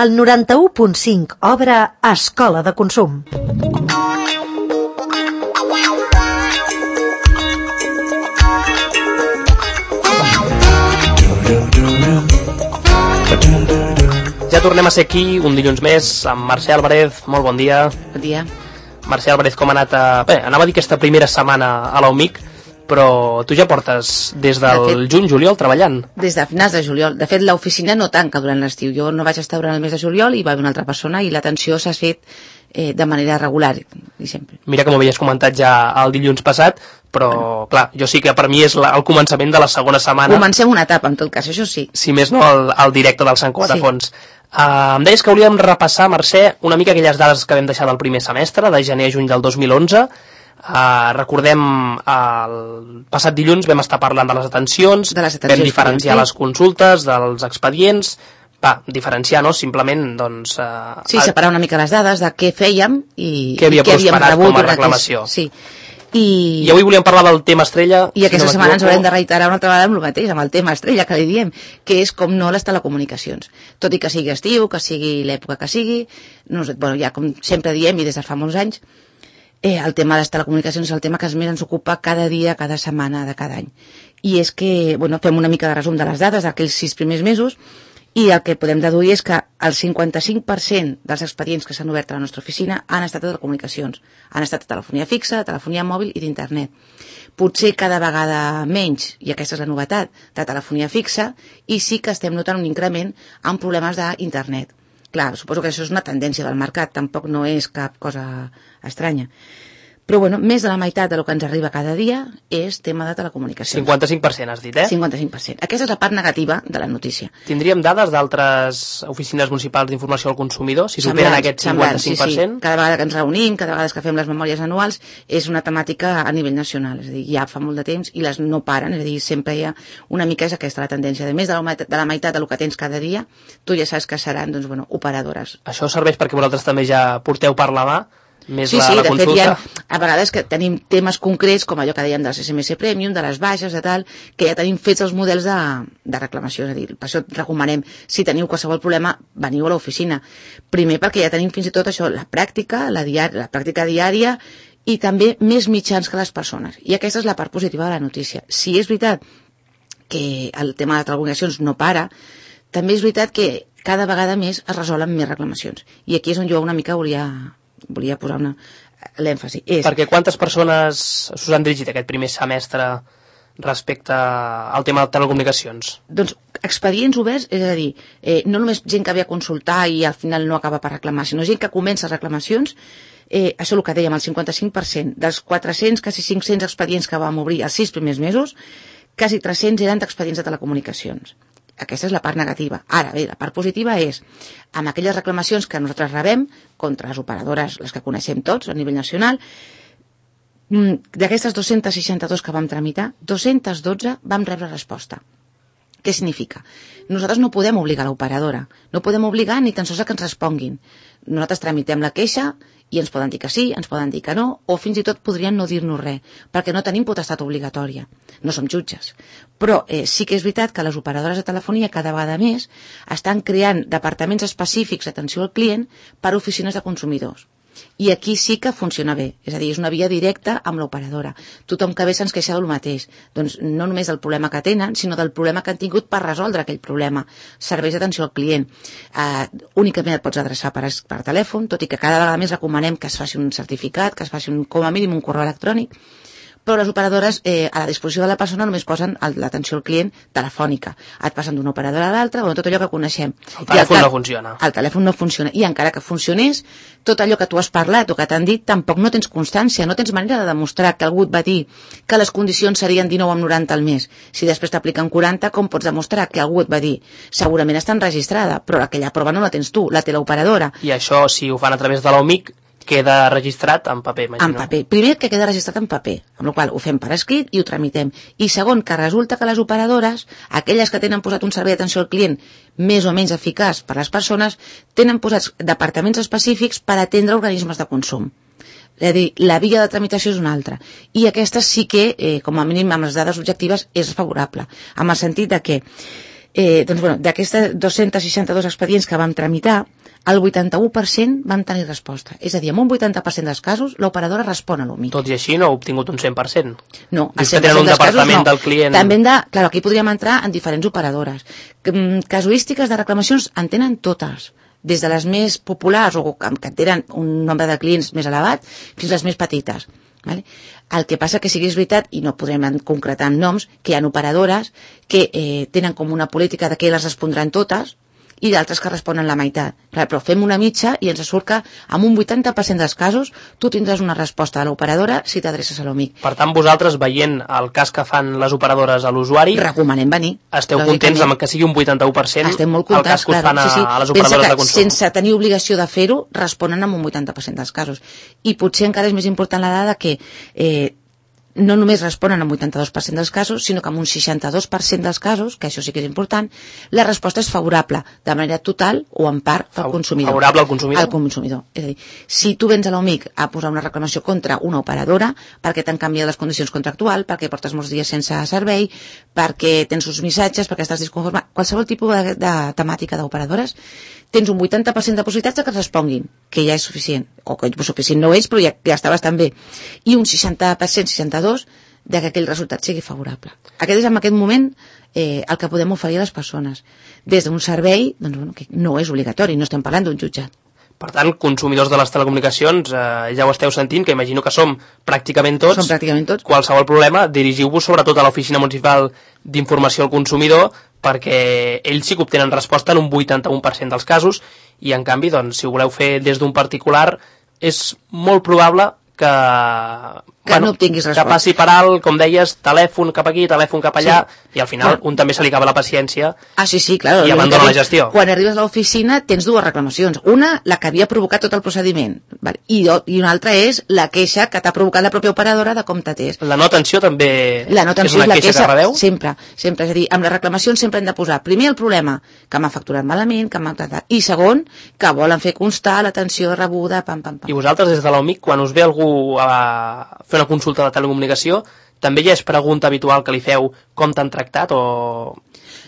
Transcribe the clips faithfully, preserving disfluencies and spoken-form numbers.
El noranta-u punt cinc obre Escola de Consum. Ja tornem a ser aquí un dilluns més amb Mercè Álvarez. Molt bon dia. Bon dia. Mercè Álvarez, com ha anat a... Bé, anava a dir aquesta primera setmana a la U M I C, però tu ja portes des del de fet, juny, juliol, treballant. Des de finals de juliol. De fet, l'oficina no tanca durant l'estiu. Jo no vaig estar durant el mes de juliol i va haver una altra persona i l'atenció s'ha fet eh, de manera regular i sempre. Mira que m'ho havies comentat ja el dilluns passat, però, bueno, clar, jo sí que per mi és la, el començament de la segona setmana. Comencem una etapa, en tot cas, això sí. Si més no, el, el directe del Sant Cugat a Fons. Sí. Uh, em deies que hauríem repassar, Mercè, una mica aquelles dades que vam deixar del primer semestre, de gener a juny del dos mil onze. Uh, recordem, uh, el passat dilluns vam estar parlant de les atencions, de les atencions vam diferenciar les consultes dels expedients, va, diferenciar, no? Simplement, doncs... Uh, sí, separar una mica les dades de què fèiem i què havia i què havíem rebut com a reclamació. Sí. I... I avui volíem parlar del tema estrella. I aquesta si setmana ens haurem de reiterar una altra vegada amb el mateix, amb el tema estrella que li diem, que és com no les telecomunicacions. Tot i que sigui estiu, que sigui l'època que sigui, no sé, bueno, ja com sempre diem i des de fa molts anys, Eh, el tema de les telecomunicacions és el tema que més ens ocupa cada dia, cada setmana de cada any. I és que, bueno, fem una mica de resum de les dades d'aquells sis primers mesos i el que podem deduir és que el cinquanta-cinc per cent dels expedients que s'han obert a la nostra oficina han estat de telecomunicacions. Han estat de telefonia fixa, de telefonia mòbil i d'internet. Potser cada vegada menys, i aquesta és la novetat, de telefonia fixa, i sí que estem notant un increment en problemes d'internet. Clar, suposo que això és una tendència del mercat, tampoc no és cap cosa estranya. Però, bueno, més de la meitat del que ens arriba cada dia és tema de telecomunicacions. cinquanta-cinc per cent has dit, eh? cinquanta-cinc per cent. Aquesta és la part negativa de la notícia. Tindríem dades d'altres oficines municipals d'informació al consumidor, si superen aquest cinquanta-cinc per cent? Sí, sí. Cada vegada que ens reunim, cada vegada que fem les memòries anuals, és una temàtica a nivell nacional. És a dir, ja fa molt de temps i les no paren, és a dir, sempre hi ha una mica és aquesta la tendència. De més de la meitat, de la meitat del que tens cada dia, tu ja saps que seran, doncs, bueno, operadores. Això serveix perquè vosaltres també ja porteu per la mà més sí, la, sí, la de consulta. Fet, hi ha, a vegades que tenim temes concrets, com allò que dèiem dels S M S Premium, de les baixes, de tal, que ja tenim fets els models de, de reclamació. És a dir, per això et recomanem, si teniu qualsevol problema, veniu a l'oficina. Primer perquè ja tenim fins i tot això, la pràctica, la, diari, la pràctica diària, i també més mitjans que les persones. I aquesta és la part positiva de la notícia. Si és veritat que el tema de telecomunicacions no para, també és veritat que cada vegada més es resolen més reclamacions. I aquí és on jo una mica volia... volia posar una... l'èmfasi. És... Perquè quantes persones s'us han dirigit aquest primer semestre respecte al tema de telecomunicacions? Doncs expedients oberts, és a dir, eh, no només gent que ve a consultar i al final no acaba per reclamar, sinó gent que comença reclamacions, eh, això el que dèiem, el cinquanta-cinc per cent dels quatre-cents, quasi cinc-cents expedients que vam obrir els sis primers mesos, quasi tres-cents eren d'expedients de telecomunicacions. Aquesta és la part negativa. Ara bé, la part positiva és amb aquelles reclamacions que nosaltres rebem contra les operadores, les que coneixem tots a nivell nacional, d'aquestes dos-cents seixanta-dos que vam tramitar, dos-cents dotze vam rebre resposta. Què significa? Nosaltres no podem obligar l'operadora, no podem obligar ni tan sols a que ens responguin. Nosaltres tramitem la queixa i ens poden dir que sí, ens poden dir que no, o fins i tot podrien no dir-nos res, perquè no tenim potestat obligatòria, no som jutges. Però eh, sí que és veritat que les operadores de telefonia cada vegada més estan creant departaments específics d'atenció al client per a oficines de consumidors. I aquí sí que funciona bé, és a dir, és una via directa amb l'operadora. Tothom que ve se'ns queixa del mateix, doncs no només del problema que tenen, sinó del problema que han tingut per resoldre aquell problema. Serveis d'atenció al client. Uh, únicament et pots adreçar per, per telèfon, tot i que cada vegada més recomanem que es faci un certificat, que es faci un, com a mínim un correu electrònic, però les operadores eh, a la disposició de la persona només posen l'atenció al client telefònica. Et passen d'una operadora a l'altra, bueno, tot allò que coneixem. El telèfon el no funciona. El telèfon no funciona. I encara que funcionés, tot allò que tu has parlat o que t'han dit, tampoc no tens constància, no tens manera de demostrar que algú et va dir que les condicions serien dinou amb noranta al mes. Si després t'apliquen quaranta, com pots demostrar que algú et va dir? Segurament està enregistrada, però aquella prova no la tens tu, la té l'operadora. I això, si ho fan a través de la U M I C, queda registrat en paper, imagino. En paper. Primer, que queda registrat en paper, amb la qual ho fem per escrit i ho tramitem. I segon, que resulta que les operadores, aquelles que tenen posat un servei d'atenció al client més o menys eficaç per a les persones, tenen posats departaments específics per atendre organismes de consum. És a dir, la via de tramitació és una altra. I aquesta sí que, eh, com a mínim amb les dades objectives, és favorable. En el sentit de que Eh, doncs, bueno, d'aquestes dos-cents seixanta-dos expedients que vam tramitar, el vuitanta-u per cent van tenir resposta. És a dir, en un vuitanta per cent dels casos, l'operadora respon a l'U M I C. Tot i així no ha obtingut un cent per cent. No, el cent per cent que tenen un departament no. del client... També hem de... Clar, aquí podríem entrar en diferents operadores. Casuístiques de reclamacions en tenen totes, des de les més populars o que tenen un nombre de clients més elevat fins a les més petites. Vale? El que passa que sí que és veritat, i no podrem concretar amb noms, que hi ha operadores que eh, tenen com una política de que les respondran totes i d'altres que responen la meitat. Clar, però fem una mitja i ens surt que en un vuitanta per cent dels casos tu tindràs una resposta de l'operadora si t'adreces a l'U M I C. Per tant, vosaltres, veient el cas que fan les operadores a l'usuari, recomanem venir. Esteu contents amb que sigui un vuitanta-u per cent Estem molt contents, el cas que us clar, fan a, sí, sí. a les operadores de consum. Sense tenir obligació de fer-ho, responen amb un vuitanta per cent dels casos. I potser encara és més important la dada que eh, no només responen al vuitanta-dos per cent dels casos, sinó que en un seixanta-dos per cent dels casos, que això sí que és important, la resposta és favorable, de manera total o en part al consumidor. Favorable al consumidor? Al consumidor. És a dir, si tu vens a l'U M I C a posar una reclamació contra una operadora, perquè t'han canviat les condicions contractuals, perquè portes molts dies sense servei, perquè tens uns missatges, perquè estàs disconforme, qualsevol tipus de, de temàtica d'operadores, tens un vuitanta per cent de possibilitats de que et responguin, que ja és suficient, o que suficient no és, però ja, ja està bastant bé, i un seixanta per cent, seixanta-dos per cent de que aquell resultat sigui favorable. Aquest és en aquest moment eh, el que podem oferir a les persones. Des d'un servei, doncs, bueno, que no és obligatori, no estem parlant d'un jutjat. Per tant, consumidors de les telecomunicacions, eh, ja ho esteu sentint, que imagino que som pràcticament tots. Som pràcticament tots. Qualsevol problema, dirigiu-vos sobretot a l'Oficina Municipal d'Informació al Consumidor, perquè ells sí que obtenen resposta en un vuitanta-u per cent dels casos, i en canvi, doncs, si ho voleu fer des d'un particular, és molt probable que, que bueno, no obtinguis resposta. Que passi per alt, com deies, telèfon cap aquí, telèfon cap allà, sí. I al final bueno. un també se li acaba la paciència ah, sí, sí, claro, i abandona la gestió. Quan arribes a l'oficina tens dues reclamacions. Una, la que havia provocat tot el procediment, vale? I, i una altra és la queixa que t'ha provocat la pròpia operadora de com t'atès. La no atenció també la no atenció és una és la queixa, queixa que rebeu? Sempre, sempre. És a dir, amb les reclamacions sempre hem de posar primer el problema, que m'ha facturat malament, que m'ha tratat, i segon, que volen fer constar l'atenció rebuda, pam, pam, pam. I vosaltres des de l'U M I C, quan us ve algú a fer una consulta de telecomunicació, també ja és pregunta habitual que li feu com t'han tractat o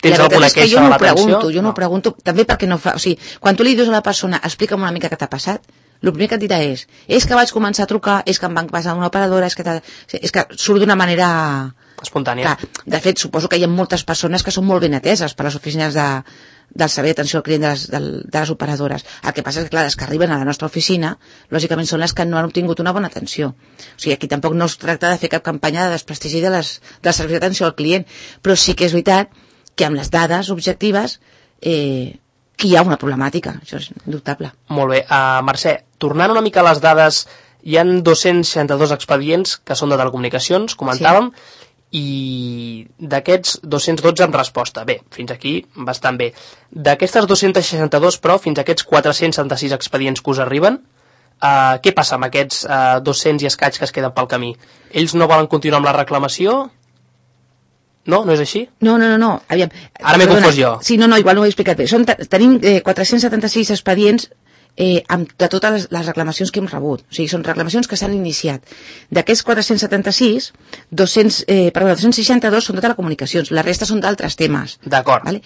tens alguna queixa de l'atenció? Jo no ho pregunto, també perquè no fa... O sigui, quan tu li dius a la persona, explica'm una mica què t'ha passat, el primer que et dirà és, és que vaig començar a trucar, és que em van passar una operadora, és que, és que surt d'una manera... espontània. Que, de fet, suposo que hi ha moltes persones que són molt ben ateses per les oficines de, del servei d'atenció al client de les, de, de les operadores. El que passa és que, clar, les que arriben a la nostra oficina, lògicament són les que no han obtingut una bona atenció. O sigui, aquí tampoc no es tracta de fer cap campanya de desprestigi de les, dels serveis d'atenció al client, però sí que és veritat que amb les dades objectives eh, que hi ha una problemàtica, això és indubtable. Molt bé. Uh, Mercè, tornant una mica a les dades, hi ha dos-cents seixanta-dos expedients que són de telecomunicacions, comentàvem, sí. I d'aquests dos-cents dotze en resposta. Bé, fins aquí bastant bé. D'aquestes dos-cents seixanta-dos, però, fins a aquests quatre-cents setanta-sis expedients que us arriben, uh, què passa amb aquests uh, dos-cents i escaig que es queden pel camí? Ells no volen continuar amb la reclamació? No? No és així? No, no, no, no. Aviam. Ara m'he confós jo. Sí, no, no, igual no ho he explicat bé. Som, tenim eh, quatre-cents setanta-sis expedients eh, amb, de totes les, les reclamacions que hem rebut. O sigui, són reclamacions que s'han iniciat. D'aquests quatre-cents setanta-sis, dos-cents, eh, perdó, dos-cents seixanta-dos són de telecomunicacions, la resta són d'altres temes. D'acord. Vale?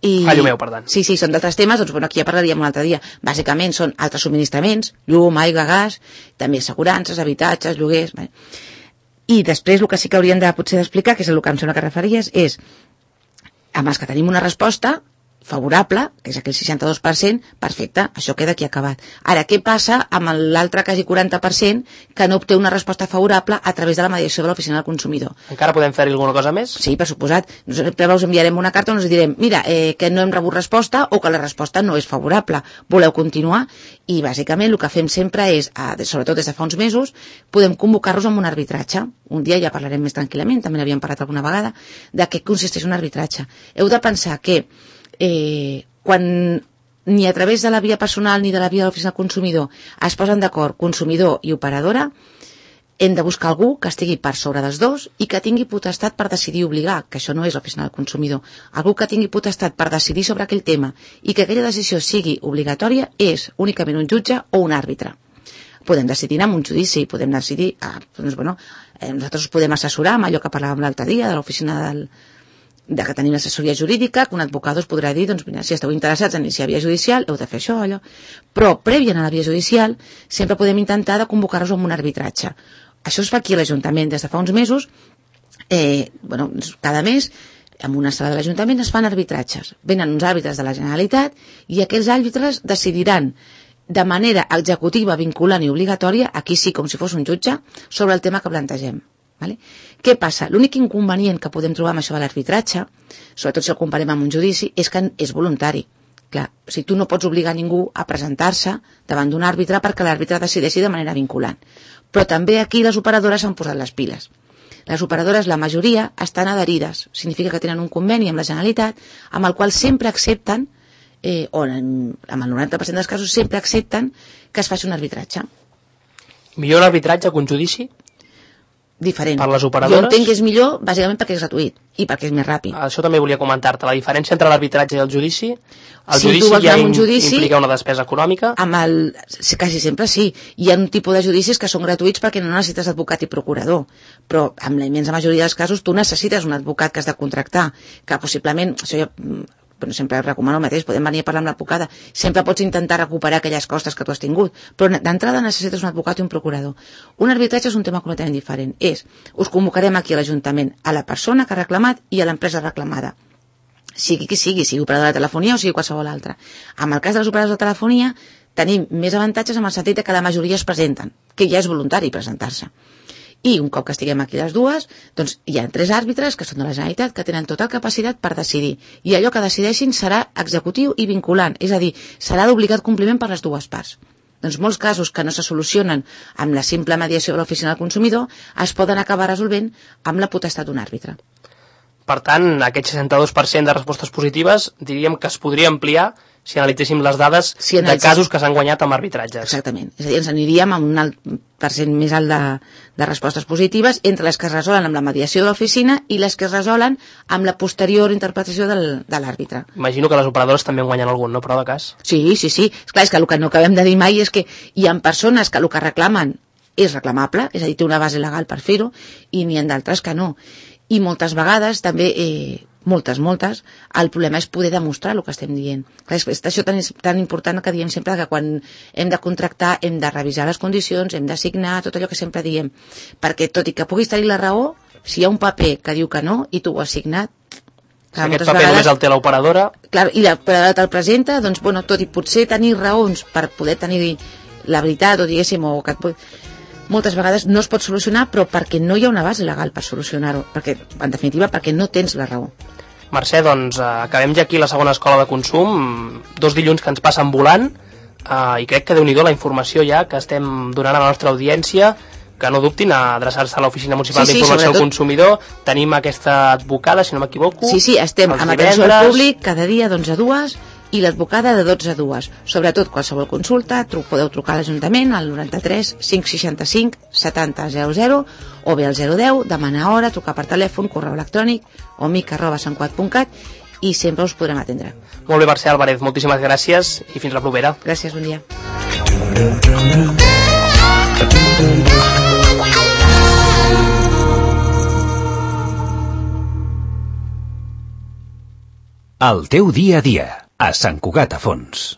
I... Fallo meu, per tant. Sí, sí, són d'altres temes, doncs bueno, aquí ja parlaríem un altre dia. Bàsicament són altres subministraments, llum, aigua, gas, també assegurances, habitatges, lloguers... Vale? I després el que sí que hauríem de potser d'explicar, que és el que em sembla que referties, és amb els que tenim una resposta favorable, que és aquell seixanta-dos per cent, perfecte, això queda aquí acabat. Ara, què passa amb l'altre quasi quaranta per cent que no obté una resposta favorable a través de la mediació de l'Oficina del Consumidor? Encara podem fer-hi alguna cosa més? Sí, per suposat. Nosaltres us enviarem una carta on us direm, mira, eh, que no hem rebut resposta o que la resposta no és favorable. Voleu continuar? I, bàsicament, el que fem sempre és, sobretot des de fa uns mesos, podem convocar-los amb un arbitratge. Un dia ja parlarem més tranquil·lament, també n'havíem parlat alguna vegada, de què consisteix un arbitratge. Heu de pensar que Eh, quan ni a través de la via personal ni de la via de l'oficina del consumidor es posen d'acord consumidor i operadora, hem de buscar algú que estigui per sobre dels dos i que tingui potestat per decidir i obligar, que això no és l'oficina del consumidor. Algú que tingui potestat per decidir sobre aquell tema i que aquella decisió sigui obligatòria és únicament un jutge o un àrbitre. Podem decidir amb un judici, podem decidir, ah, doncs, bueno, eh, nosaltres us podem assessorar amb allò que parlàvem l'altre dia de l'oficina del de que tenim assessoria jurídica, que un advocat us podrà dir, doncs mira, si esteu interessats en iniciar via judicial, heu de fer això, allò. Però, prèvia a la via judicial, sempre podem intentar de convocar-vos amb un arbitratge. Això es fa aquí a l'Ajuntament des de fa uns mesos, eh, bueno, cada mes, en una sala de l'Ajuntament es fan arbitratges. Venen uns àrbitres de la Generalitat i aquells àrbitres decidiran de manera executiva, vinculant i obligatòria, aquí sí, com si fos un jutge, sobre el tema que plantegem. Vale? Què passa? L'únic inconvenient que podem trobar amb això de l'arbitratge, sobretot si el comparem amb un judici, és que és voluntari. Clar, o sigui, tu no pots obligar ningú a presentar-se davant d'un àrbitre perquè l'àrbitre decideixi de manera vinculant. Però també aquí les operadores s'han posat les piles. Les operadores, la majoria, estan adherides. Significa que tenen un conveni amb la Generalitat amb el qual sempre accepten, eh, o en, amb el noranta per cent dels casos, sempre accepten que es faci un arbitratge. Millor l'arbitratge que un judici? Diferent. Per les operadores? Jo entenc que és millor, bàsicament perquè és gratuït i perquè és més ràpid. Això també volia comentar-te, la diferència entre l'arbitratge i el judici. El si judici ja un judici, implica una despesa econòmica. Amb el, quasi sempre sí. Hi ha un tipus de judicis que són gratuïts perquè no necessites advocat i procurador. Però amb la immensa majoria dels casos tu necessites un advocat que has de contractar, que possiblement, això ja, bueno, sempre recomano el mateix, podem venir a parlar amb l'advocada, sempre pots intentar recuperar aquelles costes que tu has tingut, però d'entrada necessites un advocat i un procurador. Un arbitratge és un tema completament diferent. És, us convocarem aquí a l'Ajuntament a la persona que ha reclamat i a l'empresa reclamada. Sigui qui sigui, sigui operador de telefonia o sigui qualsevol altra. En el cas de les operadors de telefonia tenim més avantatges en el sentit que la majoria es presenten, que ja és voluntari presentar-se. I un cop que estiguem aquí les dues, doncs hi ha tres àrbitres que són de la Generalitat que tenen tota capacitat per decidir. I allò que decideixin serà executiu i vinculant, és a dir, serà d'obligat compliment per les dues parts. Doncs molts casos que no se solucionen amb la simple mediació de l'oficina del consumidor es poden acabar resolvent amb la potestat d'un àrbitre. Per tant, aquest seixanta-dos per cent de respostes positives diríem que es podria ampliar si analitzéssim les dades si analitzéssim... de casos que s'han guanyat amb arbitratges. Exactament. És a dir, ens aniríem amb un alt percent més alt de, de respostes positives entre les que es resolen amb la mediació de l'oficina i les que es resolen amb la posterior interpretació del, de l'àrbitre. Imagino que les operadores també en guanyen algun, no? Però de cas. Sí, sí, sí. Esclar, és que el que no acabem de dir mai és que hi ha persones que el que reclamen és reclamable, és a dir, té una base legal per fer-ho, i n'hi ha d'altres que no. I moltes vegades també... Eh, moltes, moltes, el problema és poder demostrar el que estem dient. És això tan, tan important que diem sempre que quan hem de contractar hem de revisar les condicions, hem de signar, tot allò que sempre diem. Perquè tot i que puguis tenir la raó, si hi ha un paper que diu que no i tu ho has signat... Si aquest paper vegades, només el té l'operadora... Clar, i l'operadora te'l presenta, doncs, bueno, tot i potser tenir raons per poder tenir la veritat, o diguéssim, o que et pot... moltes vegades no es pot solucionar, però perquè no hi ha una base legal per solucionar-ho, perquè, en definitiva, perquè no tens la raó. Mercè, doncs, eh, acabem ja aquí la segona escola de consum, dos dilluns que ens passen volant, eh, i crec que déu-n'hi-do la informació ja que estem donant a la nostra audiència, que no dubtin a adreçar-se a l'Oficina Municipal sí, sí, d'Informació al Consumidor. Tenim aquesta advocada, si no m'equivoco. Sí, sí, estem amb atenció al públic cada dia d'onze a dues i l'advocada de dotze a dues. Sobretot, qualsevol consulta, tru podeu trucar a l'Ajuntament al noranta-tres cinc seixanta-cinc setanta zero zero o bé al zero deu, demanar hora, trucar per telèfon, correu electrònic o mic arroba santcugat punt cat i sempre us podrem atendre. Molt bé, Mercè Álvarez, moltíssimes gràcies i fins la propera. Gràcies, bon dia. El teu dia a dia, a Sant Cugat a Fons.